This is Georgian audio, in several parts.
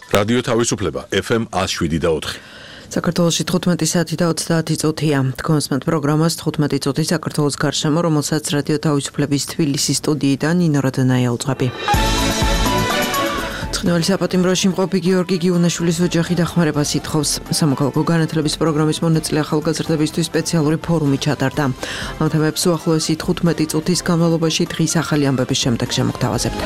რადიო თავისუფლება FM 107.4. საქართველოში 15 საათი და 30 წუთია. თქვენსმენთ პროგრამას 15 წუთი საქართველოს გარშემო, რომელსაც რადიო თავისუფლების თბილისის სტუდიიდან ნინო რადანაია უძღვები. ცხინვალის საპატიმროში მყოფი გიორგი გიუნაშვილის ოჯახი დახმარებას ითხოვს. სამოქალაქო განათლების პროგრამის მონაწილე ახალგაზრდებისთვის სპეციალური ფორუმი ჩატარდა. ამ თემებს უახლოესი 15 წუთის განმავლობაში დღის ახალი ამბების შემდეგ შემოგთავაზებთ.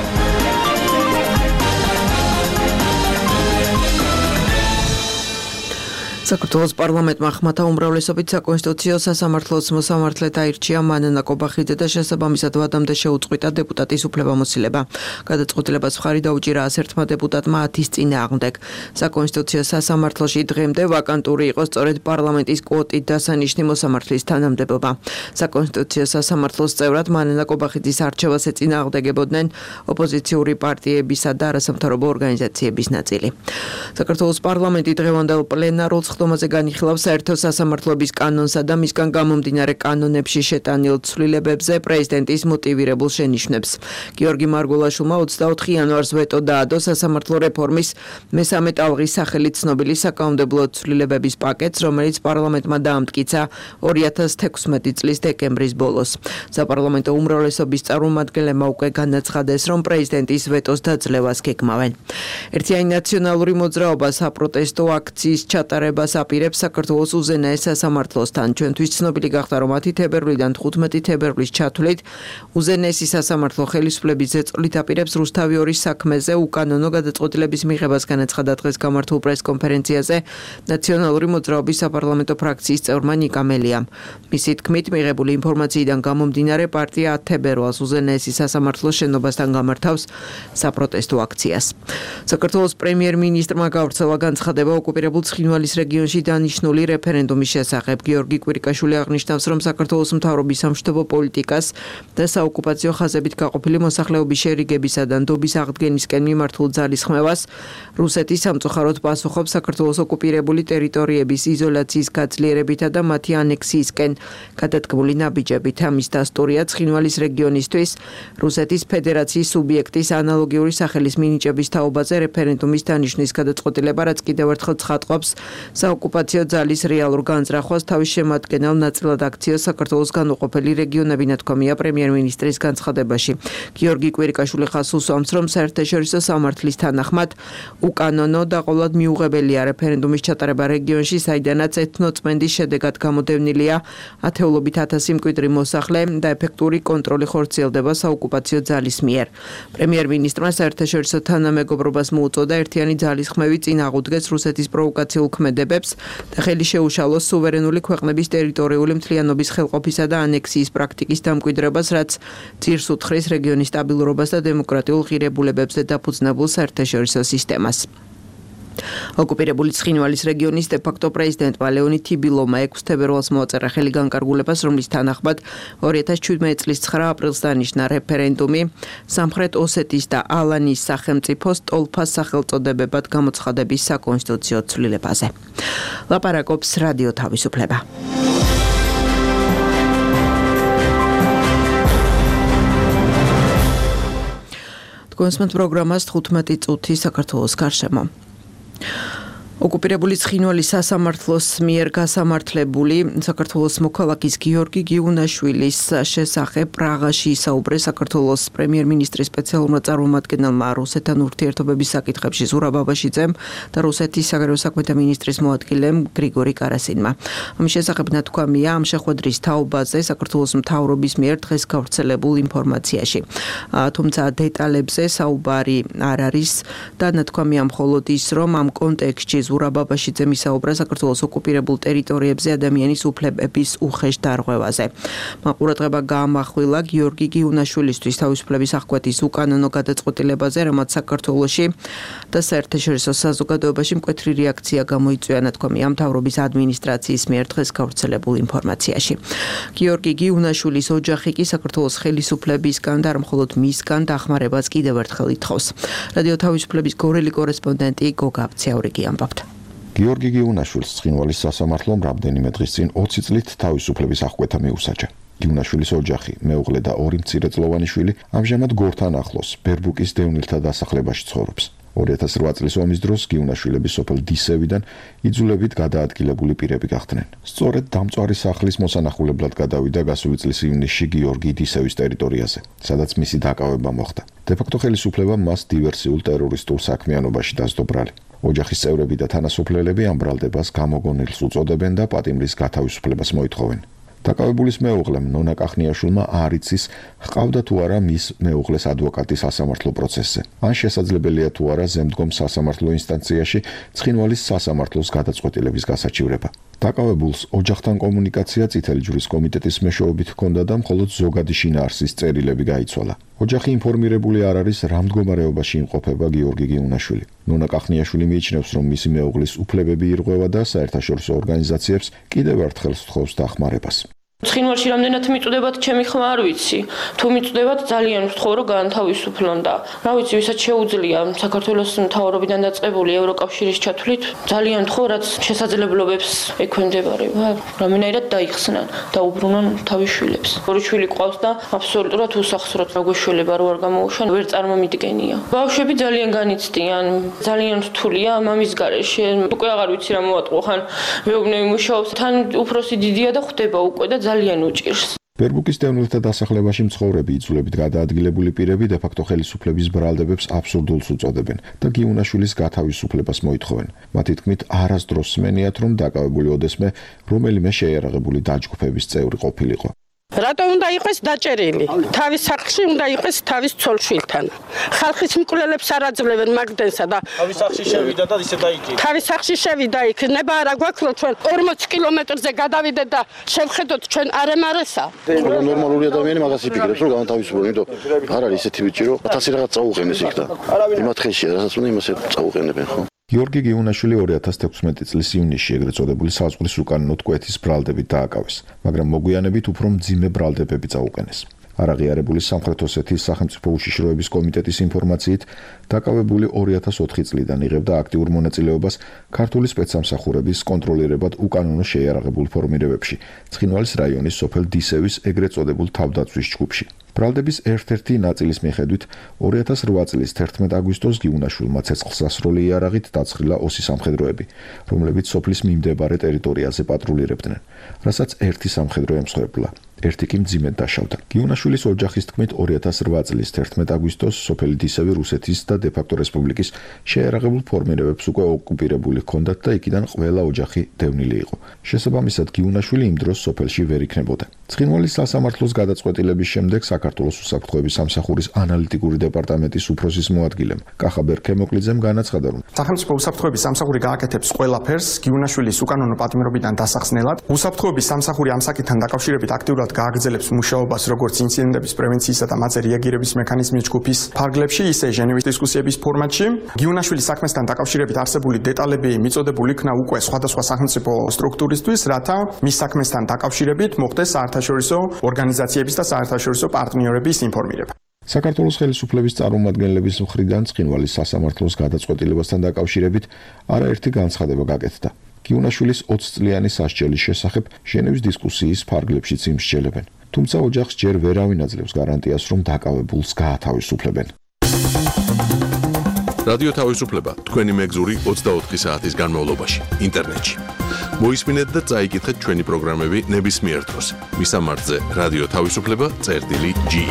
საქართველოს პარლამენტმა ხმათა უმრავლესობით საკონსტიტუციო სასამართლოს მოსამართლედ აირჩია მანანა კობახიძე და შესაბამისად ვადამდე შეუწყვიტა დეპუტატის უფლებამოსილება. გადაწყვეტილებას მხარი დაუჭირა 11 დეპუტატმა 10-ის წინააღმდეგ. საკონსტიტუციო სასამართლოში დღემდე ვაკანტური იყო სწორედ პარლამენტის კვოტით დასანიშნი მოსამართლის თანამდებობა. საკონსტიტუციო სასამართლოს წევრად მანანა კობახიძის არჩევას ეწინააღმდეგებოდნენ ოპოზიციური პარტიებისა და არასამთავრობო ორგანიზაციების ნაწილი. საქართველოს პარლამენტი დღევანდელ პლენარულ ხდომაზე განიხილავს საერთო სასამართლოების კანონსა და მისგან გამომდინარე კანონებში შეტანილ ცვლილებებზე პრეზიდენტის მოტივირებულ შენიშვნებს. გიორგი მარგულაშვილმა 24 იანვარს ვეტო დაადო სასამართლო რეფორმის მესამე ტალღის სახელით ცნობილი საკანონმდებლო ცვლილებების პაკეტს, რომელიც პარლამენტმა დაამტკიცა 2016 წლის დეკემბრის ბოლოს. საპარლამენტო უმრავლესობის წარმომადგენლებმა უკვე განაცხადეს, რომ პრეზიდენტის ვეტოს დაძლევას გეგმავენ. ერთიანი ნაციონალური მოძრაობა საპროტესტო აქციის ჩატარებას აპირებს საქართველოს უზენაეს სასამართლოსთან. ჩვენთვის ცნობილი გახდა, რომ 10 თებერვლიდან 15 თებერვლის ჩათვლით უზენაესი სასამართლო ხელისუფლების ზეწოლით აპირებს რუსთავი 2-ის საქმეზე უკანონო გადაწყვეტილების მიღებას, განაცხადა დღეს გამართულ პრეს-კონფერენციაზე ნაციონალური მოძრაობის საპარლამენტო ფრაქციის წევრმა ნიკა მელიამ. მისი თქმით, მიღებული ინფორმაციიდან გამომდინარე პარტია 10 თებერვალს უზენაესი სასამართლოს შენობასთან გამართავს საპროტესტო აქციას. საქართველოს პრემიერ-მინისტრმა გავრცელა განცხადება ოკუპირებულ ცხინვალის რეგიონში დანიშნული რეფერენდუმის შესახებ. გიორგი კვირიკაშვილი აღნიშნავს, რომ საქართველოს მთავრობის სამშვიდობო პოლიტიკას და საოკუპაციო ხაზებით გაყოფილი მოსახლეობის შერიგებისა და ნდობის აღდგენისკენ მიმართულ ძალისხმევას რუსეთის სამწუხაროდ პასუხობს საქართველოს ოკუპირებული ტერიტორიების იზოლაციის გაძლიერებითა და მათი ანექსიისკენ გადადგმული ნაბიჯებით. ამის დასტურია ცხინვალის რეგიონისთვის რუსეთის ფედერაციის სუბიექტის ანალოგიური სახელის მინიჭების თაობაზე რეფერენდუმის დანიშნვის გადაწყვეტილება, რაც კიდევ ერთხელ ცხადყოფს საოკუპაციო ძალის რეალურ განზრახვას. თავის შემადგენელ ნაწილად აქციას საქართველოს განუყოფელი რეგიონები, ნათქვამია პრემიერ-მინისტრის განცხადებაში. გიორგი კვირიკაშვილი ხაზს უსვამს, რომ საერთაშორისო სამართლის თანახმად უკანონო და ყოვლად მიუღებელია რეფერენდუმის ჩატარება რეგიონში, საიდანაც ეთნოწმენდის შედეგად გამოდევნილია ათეულობით ათასი მკვიდრი მოსახლე და ეფექტური კონტროლი ხორციელდება საოკუპაციო ძალის მიერ. პრემიერ-მინისტრმა საერთაშორისო თანამეგობრობას მოუწოდა ერთიანი ძალისხმევი წინ აღუდგეს რუსეთის პროვოკაციულ ქმედებებს და ხელი შეუშალოს სუვერენული ქვეყნების ტერიტორიული მთლიანობის ხელყოფისა და ანექსიის პრაქტიკის დამკვიდრებას, რაც ძირს უთხრის რეგიონის სტაბილურობას და დემოკრატიულ ღირებულებებზე დაფუძნებულ საერთაშორისო სისტემას. ოკუპირებული ცხინვალის რეგიონის დე-ფაქტო პრეზიდენტმა ლეონიდ თიბილოვმა 6 თებერვალს მოაწერა ხელი განკარგულებას, რომლის თანახმად 2017 წლის 9 აპრილს დანიშნა რეფერენდუმი სამხრეთ ოსეთის და ალანის სახელმწიფოს ტოლფას სახელწოდებებად გამოცხადების საკონსტიტუციო ცვლილებაზე. ლაპარაკობს რადიო თავისუფლება. თქვენსმენთ პროგრამას 15 წუთი საქართველოს გარშემო. ოკუპირებული ცხინვალის სასამართლოს მიერ გასამართლებული საქართველოს მოქალაქის გიორგი გიუნაშვილის შესახებ პრაღაში ისაუბრეს საქართველოს პრემიერ-მინისტრის სპეციალურმა წარმომადგენელმა რუსეთთან ურთიერთობების საკითხებში ზურაბ აბაშიძემ და რუსეთის საგარეო საქმეთა მინისტრის მოადგილემ გრიგორი კარასინმა. ამის შესახებ ნათქვამია ამ შეხვედრის თაობაზე საქართველოს მთავრობის მიერ დღეს გავრცელებულ ინფორმაციაში. თუმცა დეტალებზე საუბარი არ არის და ნათქვამია მხოლოდ ის, რომ ამ კონტექსტში ზურაბ აბაშიძემ ისაუბრა საქართველოს ოკუპირებულ ტერიტორიებზე ადამიანის უფლებების უხეშ დარღვევაზე. მაყურებელმა გაამახვილა გიორგი გიუნაშვილისთვის თავისუფლების აღკვეთის უკანონო გადაწყვეტილებაზე, რამაც საქართველოში და საერთაშორისო საზოგადოებაში მკვეთრი რეაქცია გამოიწვია, ნათქვამია მთავრობის ადმინისტრაციის მიერ დღეს გავრცელებულ ინფორმაციაში. გიორგი გიუნაშვილის ოჯახი კი საქართველოს ხელისუფლებისგან და არ მხოლოდ მისგან დახმარებას კიდევ ერთხელ ითხოვს. რადიო თავისუფლების გორელი კორესპონდენტი გოგა აბციაურიგი ამბობს. გიორგი გიუნაშვილს ცხინვალის სასამართლომ რამდენიმე დღის წინ 20 წლით თავისუფლების აღკვეთა მიუსაჯა. გიუნაშვილის ოჯახი, მეუღლე და 2 მცირეწლოვანი შვილი ამჟამად გორთან ახლოს, ბერბუკის დევნილთა დასახლებაში ცხოვრობს. 2008 წლის ომის დროს გიუნაშვილები სოფელ დისევიდან იძულებით გადაადგილებული პირები გახდნენ. სწორედ დამწვარი სახლის მოსანახულებლად გადავიდა გასული წლის ივნისში გიორგი დისევის ტერიტორიაზე, სადაც მისი დაკავება მოხდა. დე-ფაქტო ხელისუფლებამ მას დივერსიულ ტერორისტულ საქმიანობაში დასდო ბრალი. ოჯახის წევრები და თანასოფლელები ამ ბრალდებას გამოგონილს უწოდებენ და პატიმრის გათავისუფლებას მოითხოვენ. დაკავებულის მეუღლემ ნონა კახნიაშვილმა არ იცის, ჰყავდა თუ არა მის მეუღლეს ადვოკატი სასამართლო პროცესზე. ან შესაძლებელია თუ არა ზემდგომ სასამართლო ინსტანციაში ცხინვალის სასამართლოს გადაწყვეტილების გასაჩივრება. დაკავებულს ოჯახთან კომუნიკაცია წითელი ჯვრის კომიტეტის მეშვეობით ჰქონდა და მხოლოდ ზოგადი შინაარსის წერილები გაიცვალა. ოჯახი ინფორმირებული არ არის, რა მდგომარეობაში იმყოფება გიორგი გიუნაშვილი. ნონა კახნიაშვილი მიიჩნევს, რომ მისი მეუღლის უფლებები ირღვევა და საერთაშორისო ორგანიზაციებს კიდევ ერთხელ სთხოვს დახმარებას. ცხინვალში რამდენად მიწვდებათ, ჩემი ხმა არ ვიცი. თუ მიწვდებათ, ძალიან ვთხოვ, რომ გაანთავისუფლონ და რა ვიცი, ვისაც შეუძლია საქართველოს მთავრობიდან დაწყებული ევროკავშირის ჩათვლით, ძალიან ვთხოვ, რაც შესაძლებლობებს ექვემდებარება, რამენაირად დაიხსნან და უბრუნონ თავის შვილებს. ორი შვილი ყავს და აბსოლუტურად უსახსროდ გაგვეშველება რო არ გამოუშან, ვერ წარმომიდგენია. ბავშვები ძალიან განიცდიან, ძალიან რთულია მამის გარეშე. უკვე აღარ ვიცი რა მოვატყო, ხან მეუბნები მუშაობს, თან უფროსი დიდია და ხვდება უკვე და ძალიან უჭირს. ბერბუკის დევნილთა დასახლებაში მცხოვრები იძულებით გადაადგილებული პირები დე-ფაქტო ხელისუფლების ბრალდებებს აბსურდულს უწოდებენ და გიუნაშვილის გათავისუფლებას მოითხოვენ. მათი თქმით, არასდროს სმენიათ, რომ დაკავებული ოდესმე რომელიმე შეიარაღებული დაჯგუფების წევრი ყოფილიყო. რატო უნდა იყოს დაჭერილი? თავის სახლში უნდა იყოს თავის ცოლ-შვილთან. ხალხის მკვლელებს არ აძლევენ მაგდენსა და თავის სახლში შევიდა და ისე დაიჭირა. თავის სახლში შევიდა იქ. ნება არა გვაქვს რომ ჩვენ 40 კილომეტრზე გადავიდეთ და შევხედოთ ჩვენ არემარესა. ნორმალური ადამიანი მაგას იფიქრებს რომ განთავისუფლო, იმიტომ არ არის ისეთი ბიჭი რომ 1000 რაღაც წაუყენეს იქ და იმათ ხელშია, რასაც უნდა იმას წაუყენებენ ხო? გიორგი გიუნაშვილი 2016 წლის ივნისში ეგრეთ წოდებული საზღვრის უკანონო კვეთის ბრალდებით დააკავეს, მაგრამ მოგვიანებით უფრო მძიმე ბრალდებები წაუყენეს. არაღიარებული სამხრეთ ოსეთის სახელმწიფო უშიშროების კომიტეტის ინფორმაციით, დაკავებული 2004 წლიდან იღებდა აქტიურ მონაწილეობას ქართული სპეცსამსახურების კონტროლირებად უკანონო შეიარაღებულ ფორმირებებში, ცხინვალის რაიონის სოფელ დისევის ეგრეთ წოდებულ თავდაცვის ჯგუფში. ბრალდების ერთ-ერთი ნაწილის მიხედვით 2008 წლის 11 აგვისტოს გიუნაშვილმა ცეცხლსასროლი იარაღით დაცხრილა ოსი სამხედროები, რომლებიც სოფლის მიმდებარე ტერიტორიაზე პატრულირებდნენ, რასაც ერთი სამხედრო ემსხვერპლა. ერთი კი მძიმედ დაშავდა. გიუნაშვილის ოჯახის თქმით 2008 წლის 11 აგვისტოს სოფელი დისევი რუსეთის და დე-ფაქტო რესპუბლიკის შეიარაღებულ ფორმირებებს უკვე ოკუპირებული ჰქონდათ და იქიდან ყველა ოჯახი დევნილი იყო. შესაბამისად, გიუნაშვილი იმ დროს სოფელში ვერ იქნებოდა. ცხინვალის სასამართლოს გადაწყვეტილების შემდეგ საქართველოს უსაფრთხოების სამსახურის ანალიტიკური დეპარტამენტის უფროსის მოადგილემ კახა ბერქემოკლიძემ განაცხადა, რომ სახელმწიფო უსაფრთხოების სამსახური გააკეთებს ყველაფერს გიუნაშვილის უკანონო პატიმრობიდან დასახსნელად. უსაფრთხოების სამსახური ამ საკითხთან დაკავშირებით აქტიურად გააგრძელებს მუშაობას როგორც ინციდენტების პრევენციისა და მათზე რეაგირების მექანიზმის ჯგუფის ფარგლებში, ისე ჟენევის დისკუსიების ფორმატში. გიუნაშვილის საქმესთან დაკავშირებით არსებული დეტალები მიწოდებული იქნა უკვე სხვადასხვა სახელმწიფო სტრუქტურისთვის, რათა მის საქმესთან დაკავშირებით მოხდეს საერთაშორისო ორგანიზაციების და საერთაშორისო პარტნიორების ინფორმირება. საქართველოს ხელისუფლების წარმომადგენლების მხრიდან ცხინვალის სასამართლოს გადაწყვეტილებასთან დაკავშირებით არაერთი განცხადება გაკეთდა. გიუნაშვილის 20 წლიანი სასჯელის შესახებ ჟენევის დისკუსიის ფარგლებშიც იმსჯელებენ. თუმცა ოჯახს ჯერ ვერავინ აძლევს გარანტიას, რომ დაკავებულს გაათავისუფლებენ. რადიო თავისუფლება თქვენი მეგზური 24 საათის განმავლობაში ინტერნეტში. მოისმინეთ და წაიკითხეთ ჩვენი პროგრამები ნებისმიერ დროს. მისამართზე რადიო თავისუფლება.ge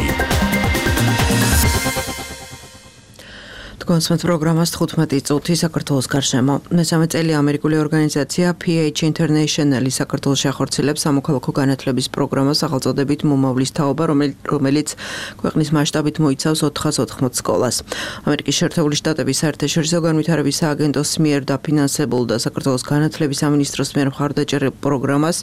კონსმეთ პროგრამას 15 წუთი საქართველოს გარშემო. მესამე წელი ამერიკული ორგანიზაცია PH International საქართველოში ახორციელებს სამოქალაქო განათლების პროგრამას სახელწოდებით მომავლის თაობა, რომელიც ქვეყნის მასშტაბით მოიცავს 480 სკოლას. ამერიკის შეერთებული შტატების საერთაშორისო განვითარების სააგენტოს მიერ დაფინანსებულ და საქართველოს განათლების სამინისტროს მიერ მხარდაჭერილ პროგრამას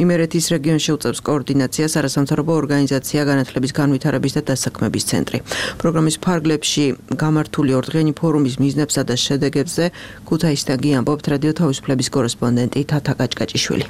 იმერეთის რეგიონში უწევს კოორდინაციას არასამთავრობო ორგანიზაცია განათლების განვითარების და დასაქმების ცენტრი. პროგრამის ფარგლებში გამართული ორდღიანი ფორუმის მიზნებსა და შედეგებზე ქუთაისიდან ამბობთ რადიო თავისუფლების კორესპონდენტი თათა კაჭკაჭიშვილი.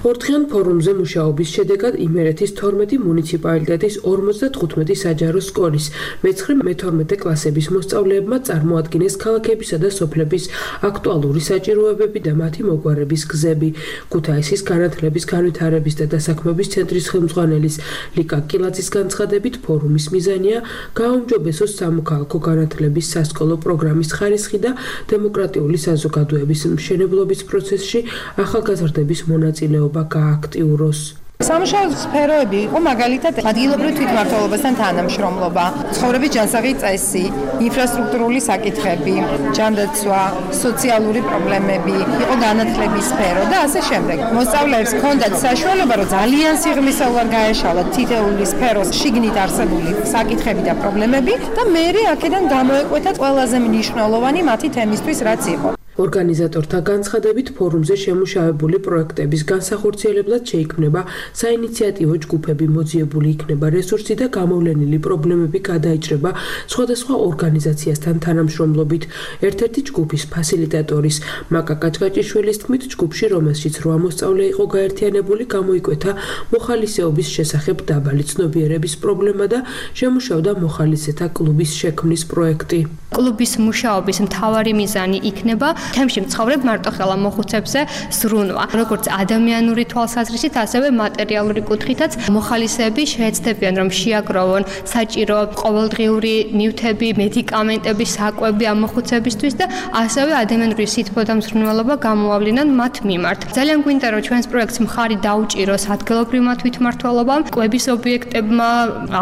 ორდღიან ფორუმზე მუშაობის შედეგად იმერეთის 12 მუნიციპალიტეტის 55 საჯარო სკოლის მე-13 კლასების მოსწავლეებმა წარმოადგინეს ქალაქებისა და სოფლების აქტუალური საჭიროებები და მათი მოგვარების გზები. ქუთაისის განათლების განვითარების და დასაქმების ცენტრის ხელმძღვანელის ლიკა კილაძის განცხადებით ფორუმის მიზანია გააუმჯობესოს სამოქალაქო განათლების სასკოლო პროგრამის ხარისხი და დემოკრატიული საზოგადოების მშენებლობის პროცესში ახალგაზრდების მონაწილეობა გააქტიუროს. სამუშაო სფეროები იყო მაგალითად ადგილობრივ თვითმმართველობასთან თანამშრომლობა, ცხოვრების ჯანსაღი წესი, ინფრასტრუქტურული საკითხები, ჯანდაცვა, სოციალური პრობლემები, იყო განათლების სფერო და ასე შემდეგ. მოსწავლეებს ჰქონდათ საშუალება, რომ ძალიან სიღრმისეულად გაეშალათ თითოეული სფეროს შიგნით არსებული საკითხები და პრობლემები და მერე აქედან გამოეკვეთათ ყველაზე მნიშვნელოვანი მათი თემისთვის, რაც იყო. ორგანიზატორთა განცხადებით ფორუმზე შემუშავებული პროექტების განსახორციელებლად შეიქმნება საინიციატივო ჯგუფები, მოძიებული იქნება რესურსი და გამოვლენილი პრობლემები გადაიჭრება სხვადასხვა ორგანიზაციასთან თანამშრომლობით. ერთ-ერთი ჯგუფის ფასილიტატორის მაკა კაჭკაჭიშვილის თქმით, ჯგუფში, რომელშიც 8 მოსწავლე იყო გაერთიანებული, გამოიკვეთა მოხალისეობის შესახებ დაბალი ცნობიერების პრობლემა და შემუშავდა მოხალისეთა კლუბის შექმნის პროექტი. კლუბის მუშაობის მთავარი მიზანი იქნება თემში მცხოვრებ მარტოხელა მოხუცებზე ზრუნვა, როგორც ადამიანური თვალსაზრისით, ასევე მატერიალური კუთხითაც მოხალისეები შეეცდებიან, რომ შეაგროვონ საჭირო ყოველდღიური ნივთები, მედიკამენტები, საკვები ამ მოხუცებისთვის და ასევე ადამიანური სითბო და მზრუნველობა გამოავლინონ მათ მიმართ. ძალიან გვინდა, რომ ჩვენს პროექტს მხარი დაუჭიროს ადგილობრივმა თვითმმართველობამ, კვების ობიექტებმა,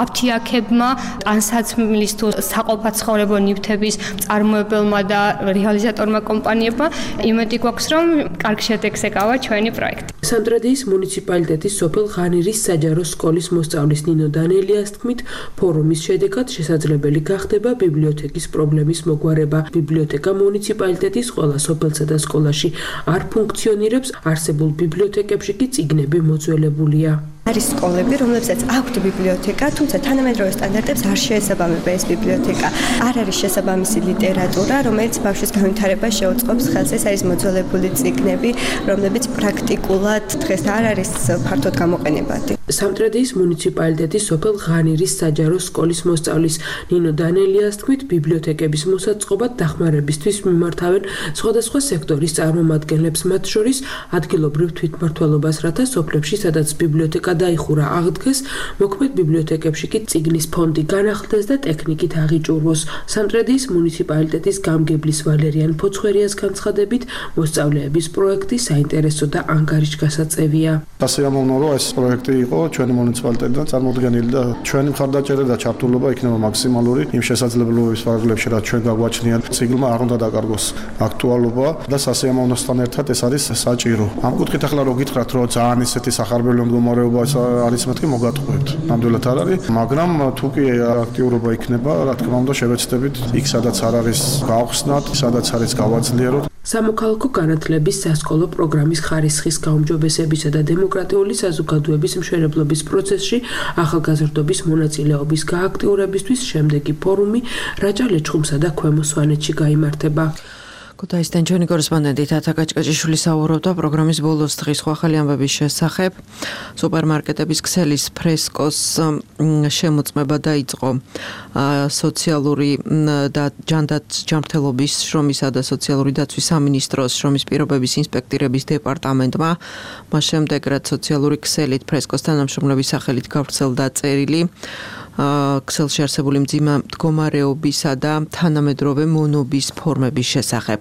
აფთიაქებმა, ტანსაცმლის თუ საყოფაცხოვრებო ნივთების წარმოებელმა და რეალიზატორმა კომპანიებმა. იმედი გვაქვს, რომ კარგ შედეგს ეკავა ჩვენი პროექტი. სამტრედიის მუნიციპალიტეტის სოფელ ღანირის საჯარო სკოლის მოსწავლის ნინო დანელიას თქმით, ფორუმის შედეგად შესაძლებელი გახდება ბიბლიოთეკის პრობლემის მოგვარება. ბიბლიოთეკა მუნიციპალიტეტის ყველა სოფელსა და სკოლაში არ ფუნქციონირებს, არსებულ ბიბლიოთეკებში კი წიგნები მოძველებულია. არის სკოლები, რომლებსაც აქვთ ბიბლიოთეკა, თუმცა თანამედროვე სტანდარტებს არ შეესაბამება ეს ბიბლიოთეკა. არ არის შესაბამისი ლიტერატურა, რომელიც ბავშვის განვითარებას შეუწყობს ხელს. ეს არის მოძველებული წიგნები, რომლებიც პრაქტიკულად დღეს არ არის ფართოდ გამოყენებადი. სამტრედიის მუნიციპალიტეტის სოფელ ღანირის საჯარო სკოლის მოსწავლის ნინო დანელიას თქმით, ბიბლიოთეკების მოსაწყობად დახმარებისთვის მიმართავენ სხვადასხვა სექტორის წარმომადგენლებს, მათ შორის ადგილობრივ თვითმმართველობას, რათა სოფლებში, სადაც ბიბლიოთეკა დაიხურა აღდგეს, მოქმედ ბიბლიოთეკებში კი წიგნის ფონდი განახლდეს და ტექნიკით აღიჭურვოს. სამტრედიის მუნიციპალიტეტის გამგებლის ვალერიან ფოცხვერიას განცხადებით, მოსწავლეების პროექტი საინტერესო და ანგარიშგასაწევია. სასიამოვნო, რომ ეს პროექტი იყო ჩვენი მუნიციპალიტეტიდან წარმოდგენილი და ჩვენი მხარდაჭერა და ჩართულობა იქნება მაქსიმალური იმ შესაძლებლობების ფარგლებში, რაც ჩვენ გაგვაჩნია. წიგნმა არ უნდა დაკარგოს აქტუალობა და სასიამოვნოსთან ერთად ეს არის საჭირო. ამ კუთხით ახლა რო გითხრათ, რომ ძალიან ისეთი სახარბელო მდგომარეობა არის მეთქი მოგატყუებთ. ნამდვილად არ არის, მაგრამ თუ კი აქტიურობა იქნება, რა თქმა უნდა, შევეცდებით იქ, სადაც არ არის გავხსნათ, სადაც არის გავაძლიეროთ. სამოქალაქო განათლების სასკოლო პროგრამის ხარისხის გაუმჯობესებისა და დემოკრატიული საზოგადოების მშენებლობის პროცესში ახალგაზრდობის მონაწილეობის გააქტიურებისთვის შემდეგი ფორუმი რაჭა-ლეჩხუმსა და ქვემო სვანეთში გაიმართება. ქუთაისიდან ჩვენი კორესპონდენტი თათა კაჭკაჭიშვილი საუბრობდა პროგრამის ბოლოს დღის ახალი ამბების შესახებ. სუპერმარკეტების ქსელის ფრესკოს შემოწმება დაიწყო სოციალური და ჯანდაცვის შრომისა და სოციალური დაცვის სამინისტროს შრომის პირობების ინსპექტირების დეპარტამენტმა. მას შემდეგ რაც სოციალური ქსელით ფრესკოს თანამშრომლების სახელით გავრცელდა წერილი ქსელში არსებული მდგომარეობისა და თანამედროვე მონობის ფორმების შესახებ.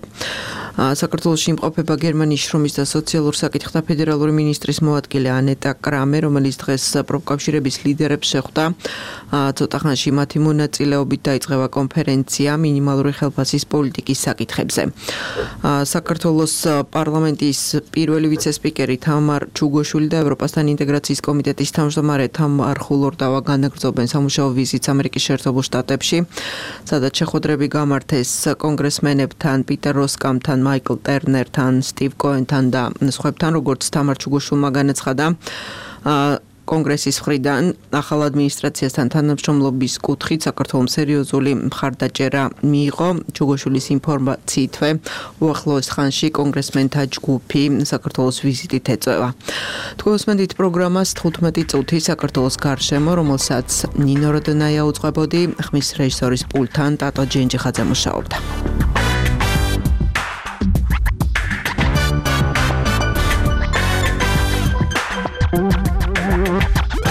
საქართველოში იმყოფება გერმანიის შრომის და სოციალურ საკითხთა ფედერალური მინისტრის მოადგილე ანეტა კრამე, რომელიც დღეს პროფკავშირების ლიდერებს შეხვდა. ცოტა ხანში მათი მონაწილეობით დაიწყება კონფერენცია მინიმალური ხელფასის პოლიტიკის საკითხებზე. საქართველოს პარლამენტის პირველი ვიცე-სპიკერი თამარ ჩუგოშვილი და ევროპასთან ინტეგრაციის კომიტეტის თავმჯდომარე თამარ ხულორდავა განაგრძობენ სამუშაო ვიზიტს ამერიკის შეერთებულ შტატებში, სადაც შეხვედრები გამართეს კონგრესმენებთან, პიტერ როსკამთან, მაიკლ ტერნერთან, სტივ კოენთან და სხვებთან, როგორც თამარ ჩუგოშვილმა განაცხადა. კონგრესის მხრიდან ახალ ადმინისტრაციასთან თანამშრომლობის კუთხით საქართველოს სერიოზული მხარდაჭერა მიიღო. ჩუგოშვილის ინფორმაციითვე უახლოეს ხანში კონგრესმენთა ჯგუფი საქართველოს ვიზიტით ეწევა. თქვენსმენთ პროგრამას 15 წუთი საქართველოს გარშემო, რომელსაც ნინო როდნაია უძღვებოდი, ხმის რეჟისორის პულტთან ტატო ჯენჯიხაძე მუშაობდა.